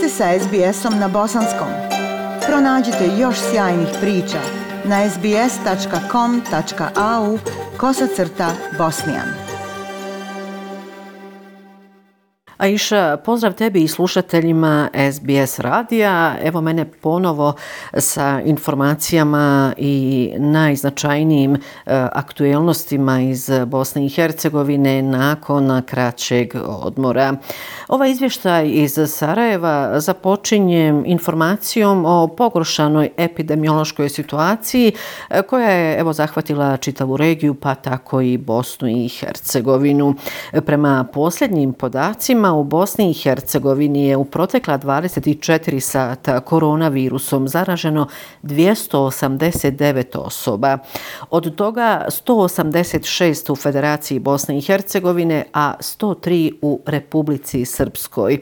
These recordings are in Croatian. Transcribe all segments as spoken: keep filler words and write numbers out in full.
ste sa es be esom na bosanskom. Pronađite još sjajnih priča na es be es tačka com tačka a u kosacrta bosnijan. Aisha, pozdrav tebi i slušateljima es be es radija. Evo mene ponovo sa informacijama i najznačajnijim e, aktuelnostima iz Bosne i Hercegovine nakon kraćeg odmora. Ovaj izvještaj iz Sarajeva započinje informacijom o pogoršanoj epidemiološkoj situaciji e, koja je evo zahvatila čitavu regiju, pa tako i Bosnu i Hercegovinu. Prema posljednjim podacima u Bosni i Hercegovini je u protekla dvadeset četiri sata koronavirusom zaraženo dvjesto osamdeset devet osoba. Od toga sto osamdeset šest u Federaciji Bosne i Hercegovine, a sto tri u Republici Srpskoj.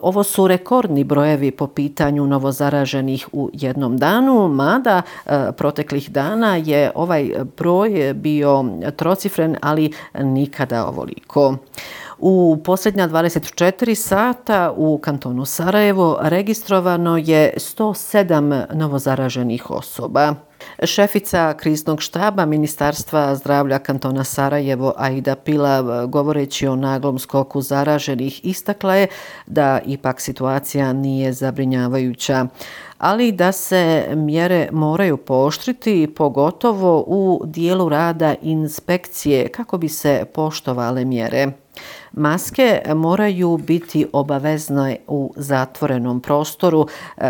Ovo su rekordni brojevi po pitanju novozaraženih u jednom danu, mada proteklih dana je ovaj broj bio trocifren, ali nikada ovoliko. U posljednja dvadeset četiri sata u kantonu Sarajevo registrovano je sto sedam novozaraženih osoba. Šefica kriznog štaba Ministarstva zdravlja kantona Sarajevo Aida Pilav, govoreći o naglom skoku zaraženih, istakla je da ipak situacija nije zabrinjavajuća, ali da se mjere moraju pooštriti, pogotovo u dijelu rada inspekcije kako bi se poštovale mjere. Maske moraju biti obavezne u zatvorenom prostoru,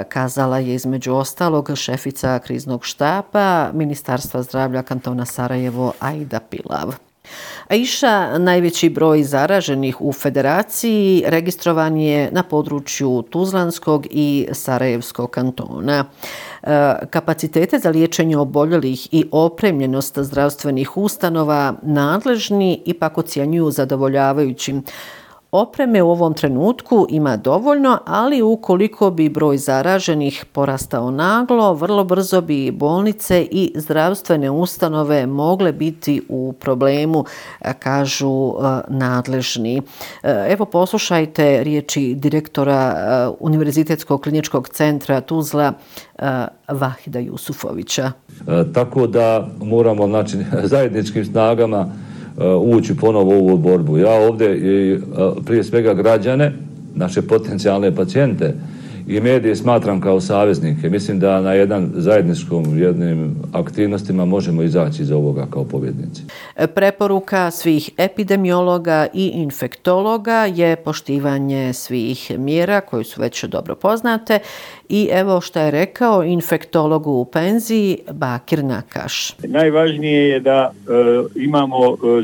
kazala je između ostalog šefica kriznog štaba Ministarstva zdravlja kantona Sarajevo Aida Pilav. Aisha, najveći broj zaraženih u Federaciji registrovan je na području Tuzlanskog i Sarajevskog kantona. Kapacitete za liječenje oboljelih i opremljenost zdravstvenih ustanova nadležni ipak ocjenjuju zadovoljavajućim. Opreme u ovom trenutku ima dovoljno, ali ukoliko bi broj zaraženih porastao naglo, vrlo brzo bi bolnice i zdravstvene ustanove mogle biti u problemu, kažu nadležni. Evo poslušajte riječi direktora Univerzitetskog kliničkog centra Tuzla Vahida Jusufovića. E, tako da moramo znači, zajedničkim snagama ući ponovo u ovu borbu. Ja ovdje i prije svega građane, naše potencijalne pacijente i medije smatram kao saveznike. Mislim da na jedan zajedničkom jednim aktivnostima možemo izaći iz ovoga kao pobjednici. Preporuka svih epidemiologa i infektologa je poštivanje svih mjera koje su već dobro poznate i evo što je rekao infektolog u penziji Bakir Nakaš. Najvažnije je da e, imamo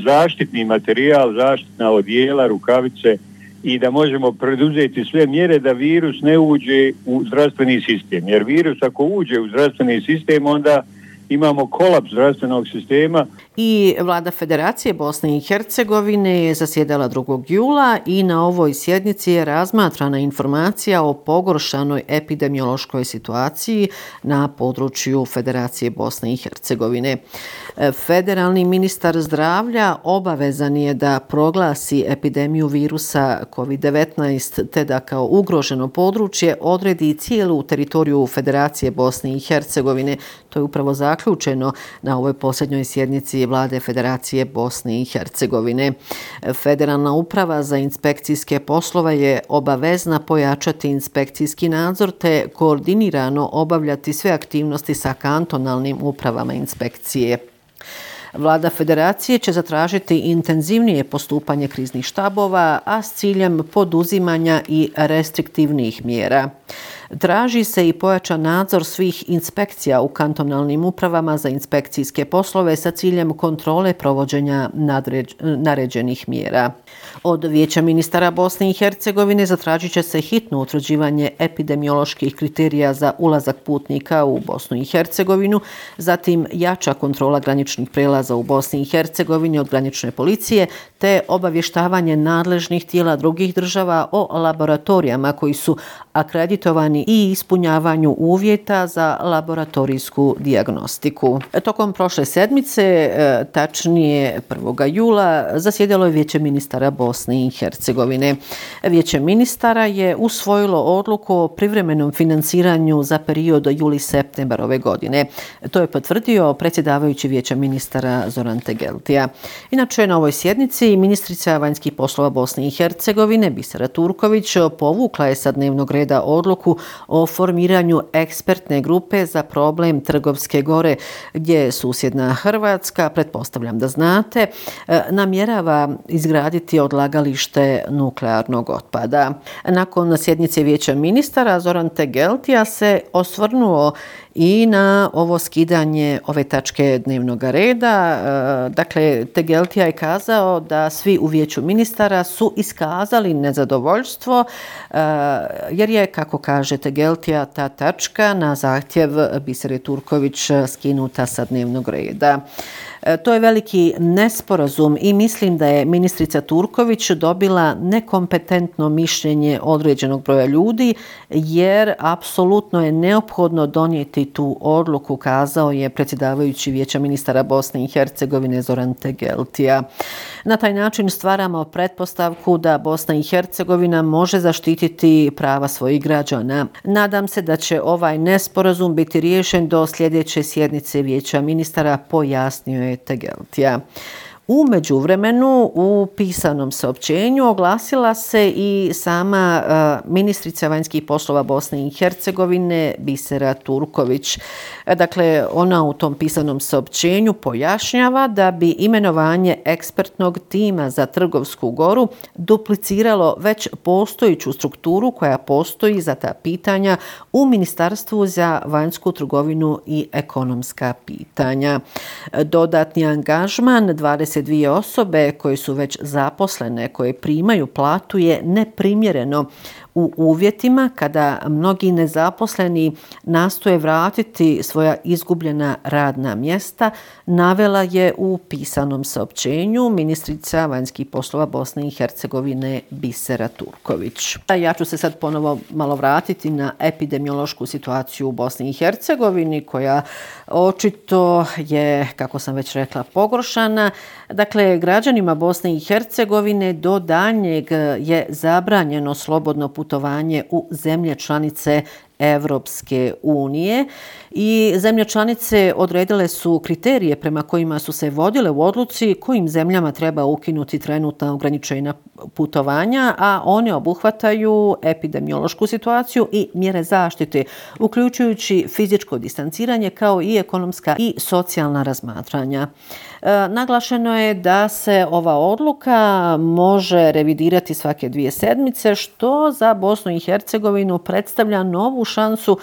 zaštitni materijal, zaštitna odijela, rukavice, i da možemo preduzeti sve mjere da virus ne uđe u zdravstveni sistem. Jer virus ako uđe u zdravstveni sistem, onda imamo kolaps zdravstvenog sistema. I Vlada Federacije Bosne i Hercegovine je zasjedala drugog jula i na ovoj sjednici je razmatrana informacija o pogoršanoj epidemiološkoj situaciji na području Federacije Bosne i Hercegovine. Federalni ministar zdravlja obavezan je da proglasi epidemiju virusa kovid devetnaest te da kao ugroženo područje odredi cijelu teritoriju Federacije Bosne i Hercegovine. To je upravo zaključeno na ovoj posljednjoj sjednici Vlade Federacije Bosne i Hercegovine. Federalna uprava za inspekcijske poslove je obavezna pojačati inspekcijski nadzor te koordinirano obavljati sve aktivnosti sa kantonalnim upravama inspekcije. Vlada Federacije će zatražiti intenzivnije postupanje kriznih štabova, a s ciljem poduzimanja i restriktivnih mjera. Traži se i pojačan nadzor svih inspekcija u kantonalnim upravama za inspekcijske poslove sa ciljem kontrole provođenja nadređ, naređenih mjera. Od Vijeća ministara Bosne i Hercegovine zatražit će se hitno utvrđivanje epidemioloških kriterija za ulazak putnika u Bosnu i Hercegovinu, zatim jača kontrola graničnih prelaza u Bosni i Hercegovini od granične policije, te obavještavanje nadležnih tijela drugih država o laboratorijama koji su akreditovani i ispunjavanju uvjeta za laboratorijsku dijagnostiku. Tokom prošle sedmice, tačnije prvog jula, zasjedalo je Vijeće ministara Bosne i Hercegovine. Vijeće ministara je usvojilo odluku o privremenom financiranju za period juli-septembar ove godine. To je potvrdio predsjedavajući Vijeća ministara Zoran Tegeltija. Inače, na ovoj sjednici ministrica vanjskih poslova Bosne i Hercegovine Bisera Turković povukla je sa dnevnog reda odluku o formiranju ekspertne grupe za problem Trgovske gore, gdje susjedna Hrvatska, pretpostavljam da znate, namjerava izgraditi odlagalište nuklearnog otpada. Nakon sjednice Vijeća ministara Zoran Tegeltija se osvrnuo i na ovo skidanje ove tačke dnevnog reda. Dakle, Tegeltija je kazao da svi u Vijeću ministara su iskazali nezadovoljstvo jer je, kako kaže Tegeltija, ta tačka na zahtjev Bisere Turković skinuta sa dnevnog reda. To je veliki nesporazum i mislim da je ministrica Turković dobila nekompetentno mišljenje određenog broja ljudi, jer apsolutno je neophodno donijeti tu odluku, kazao je predsjedavajući Vijeća ministara Bosne i Hercegovine Zoran Tegeltija. Na taj način stvaramo pretpostavku da Bosna i Hercegovina može zaštititi prava svojih građana. Nadam se da će ovaj nesporazum biti riješen do sljedeće sjednice Vijeća ministara, pojasnio je Tegeltija. U međuvremenu u pisanom saopćenju oglasila se i sama uh, ministrica vanjskih poslova Bosne i Hercegovine Bisera Turković. Dakle, ona u tom pisanom saopćenju pojašnjava da bi imenovanje ekspertnog tima za Trgovsku goru dupliciralo već postojiću strukturu koja postoji za ta pitanja u Ministarstvu za vanjsku trgovinu i ekonomska pitanja. Dodatni angažman dvadeset dvije osobe koje su već zaposlene, koje primaju platu, je neprimjereno u uvjetima kada mnogi nezaposleni nastoje vratiti svoja izgubljena radna mjesta, navela je u pisanom saopćenju ministrica vanjskih poslova Bosne i Hercegovine Bisera Turković. Ja ću se sad ponovo malo vratiti na epidemiološku situaciju u Bosni i Hercegovini, koja očito je, kako sam već rekla, pogoršana. Dakle, građanima Bosne i Hercegovine do daljnjeg je zabranjeno slobodno putovanje u zemlje članice Evropske unije i zemlje članice odredile su kriterije prema kojima su se vodile u odluci kojim zemljama treba ukinuti trenutna ograničenja putovanja, a one obuhvataju epidemiološku situaciju i mjere zaštite, uključujući fizičko distanciranje kao i ekonomska i socijalna razmatranja. E, naglašeno je da se ova odluka može revidirati svake dvije sedmice, što za Bosnu i Hercegovinu predstavlja novu šansu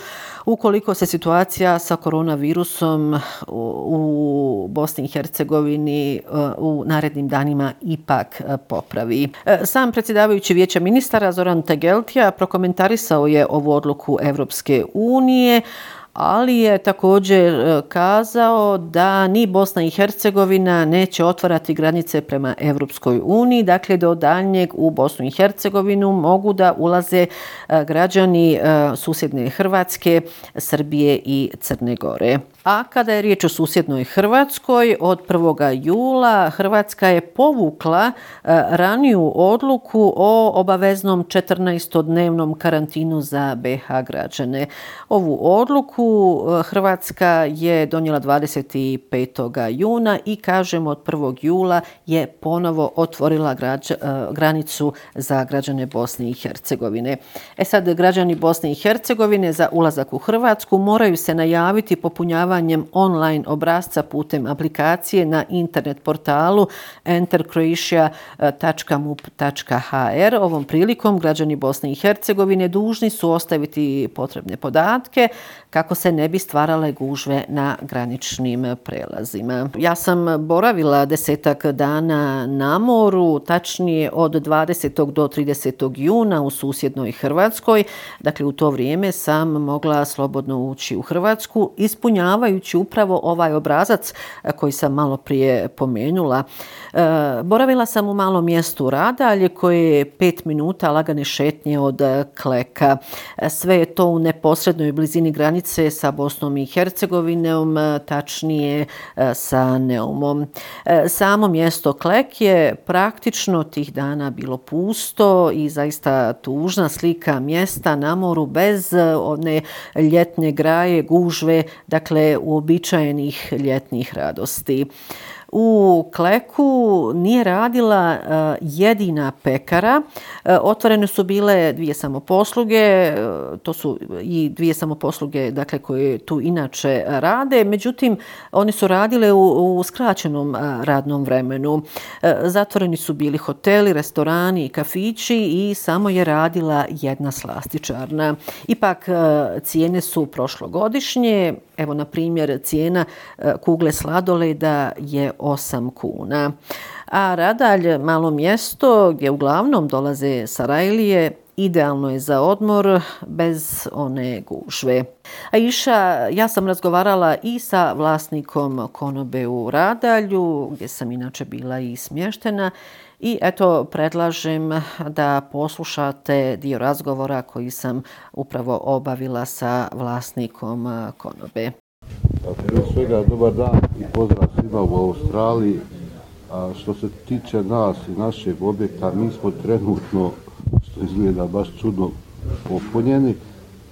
ukoliko se situacija sa koronavirusom u Bosni i Hercegovini u narednim danima ipak popravi. Sam predsjedavajući Vijeća ministara Zoran Tegeltija prokomentarisao je ovu odluku Evropske unije, ali je također kazao da ni Bosna i Hercegovina neće otvarati granice prema Evropskoj uniji. Dakle, do daljnjeg u Bosnu i Hercegovinu mogu da ulaze građani susjedne Hrvatske, Srbije i Crne Gore. A kada je riječ o susjednoj Hrvatskoj, od prvog jula Hrvatska je povukla raniju odluku o obaveznom četrnaestodnevnom karantinu za be ha građane. Ovu odluku Hrvatska je donijela dvadeset petog juna i, kažem, od prvog jula je ponovo otvorila građa, granicu za građane Bosne i Hercegovine. E sad, građani Bosne i Hercegovine za ulazak u Hrvatsku moraju se najaviti popunjavanjem online obrasca putem aplikacije na internet portalu enter croatia tačka mup tačka ha er. Ovom prilikom građani Bosne i Hercegovine dužni su ostaviti potrebne podatke kako se ne bi stvarale gužve na graničnim prelazima. Ja sam boravila desetak dana na moru, tačnije od dvadesetog do tridesetog juna u susjednoj Hrvatskoj. Dakle, u to vrijeme sam mogla slobodno ući u Hrvatsku, ispunjavati poznavajući upravo ovaj obrazac koji sam malo prije pomenula. Boravila sam u malom mjestu Radalje koje je pet minuta lagane šetnje od Kleka. Sve je to u neposrednoj blizini granice sa Bosnom i Hercegovinom, tačnije sa Neumom. Samo mjesto Klek je praktično tih dana bilo pusto i zaista tužna slika mjesta na moru bez one ljetne graje, gužve, dakle uobičajenih ljetnih radosti. U Kleku nije radila uh, jedina pekara. Uh, otvorene su bile dvije samoposluge, uh, to su i dvije samoposluge dakle, koje tu inače rade, međutim oni su radile u, u skraćenom uh, radnom vremenu. Uh, zatvoreni su bili hoteli, restorani i kafići i samo je radila jedna slastičarna. Ipak uh, cijene su prošlogodišnje. Evo, na primjer, cijena uh, kugle sladoleda je osam kuna. A Radalj, malo mjesto gdje uglavnom dolaze Sarajlije, idealno je za odmor bez one gužve. Aisha, ja sam razgovarala i sa vlasnikom konobe u Radalju, gdje sam inače bila i smještena, i eto predlažem da poslušate dio razgovora koji sam upravo obavila sa vlasnikom konobe. Prije svega, dobar dan i pozdrav svima u Australiji. A što se tiče nas i našeg objekta, mi smo trenutno, što izgleda baš čudno, popunjeni,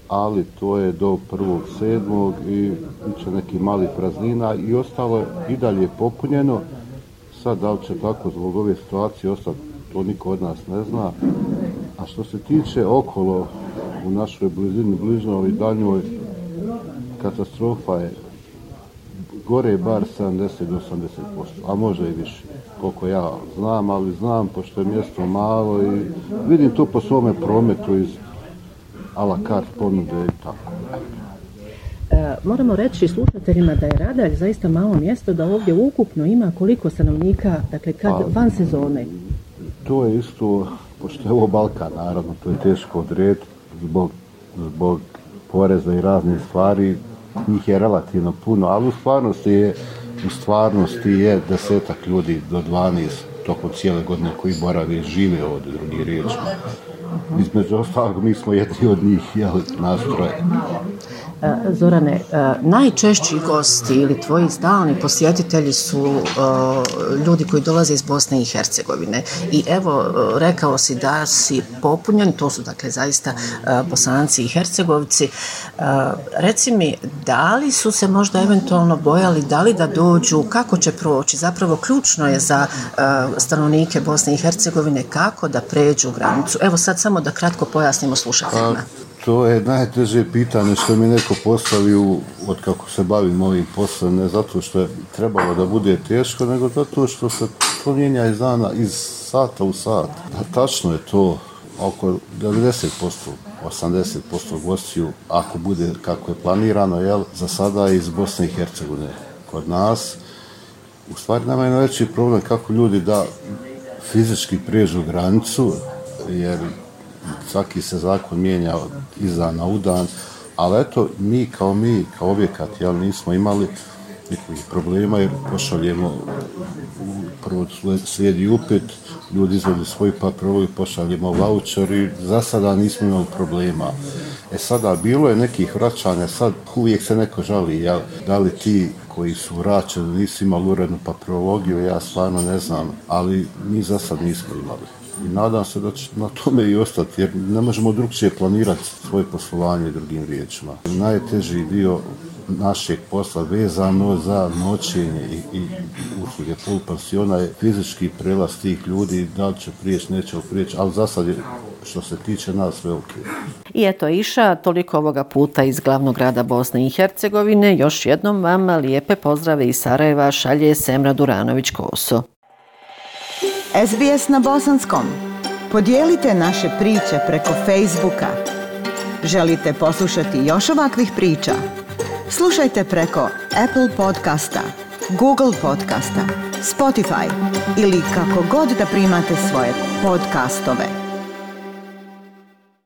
ali to je do prvog sedmog i biće neki mali praznina i ostalo je i dalje popunjeno. Sad da li će tako zbog ove situacije ostati, to niko od nas ne zna. A što se tiče okolo, u našoj blizini, bližnjoj i daljnjoj, katastrofa je gore bar sedamdeset do osamdeset posto, a može i više, koliko ja znam, ali znam, pošto je mjesto malo i vidim to po svome prometu iz a la carte ponude i tako. E, moramo reći slušateljima da je Radalj zaista malo mjesto, da ovdje ukupno ima koliko stanovnika, dakle kad pa, van sezone? To je isto, pošto je ovo Balkan, naravno, to je teško odrediti zbog, zbog poreza i raznih stvari, njih je relativno puno, ali u stvarnosti je, u stvarnosti je desetak ljudi do dvanaest tokom cijele godine koji borave i žive ovdje, drugi riječ. Između ostalog, mi smo jedni od njih, jel, nastroje. Zorane, najčešći gosti ili tvoji stalni posjetitelji su ljudi koji dolaze iz Bosne i Hercegovine. I evo, rekao si da si popunjen, to su dakle zaista Bosanci i Hercegovci. Reci mi, da li su se možda eventualno bojali, da li da dođu, kako će proći? Zapravo ključno je za stanovnike Bosne i Hercegovine kako da pređu granicu. Evo sad samo da kratko pojasnimo slušateljima. To je najteže pitanje što mi neko postavio od kako se bavim ovim poslom, ne zato što je trebalo da bude teško, nego zato što se to mijenja iz dana, iz sata u sat. Da, tačno je to, oko devedeset posto, osamdeset posto gostiju, ako bude kako je planirano, jel, za sada iz Bosne i Hercegovine. Kod nas, u stvari nama je najveći problem kako ljudi da fizički pređu granicu, jer svaki se zakon mijenja iz dana u dan, ali eto, mi kao mi, kao objekat, jel, nismo imali nikakvih problema jer pošaljemo, prvo slijedi upit, ljudi izvode svoj papir i pošaljemo vaučer i za sada nismo imali problema. E sada, bilo je nekih vraćanja, sad uvijek se neko žali, jel, da li ti koji su vraćeni nisu imali urednu papirologiju, ja stvarno ne znam, ali mi za sad nismo imali. I nadam se da će na tome i ostati, jer ne možemo drugčije planirati svoje poslovanje drugim riječima. Najteži dio našeg posla vezano za noćenje i, i usluge polupansiona je fizički prelaz tih ljudi, da li će prijeći, neće prijeći, ali za sad je, što se tiče nas, sve ok. I eto, Iša, toliko ovoga puta iz glavnog grada Bosne i Hercegovine. Još jednom vam lijepe pozdrave iz Sarajeva šalje Semra Duranović-Koso. S B S na bosanskom. Podijelite naše priče preko Facebooka. Želite poslušati još ovakvih priča? Slušajte preko Apple podcasta, Google podcasta, Spotify ili kako god da primate svoje podcastove.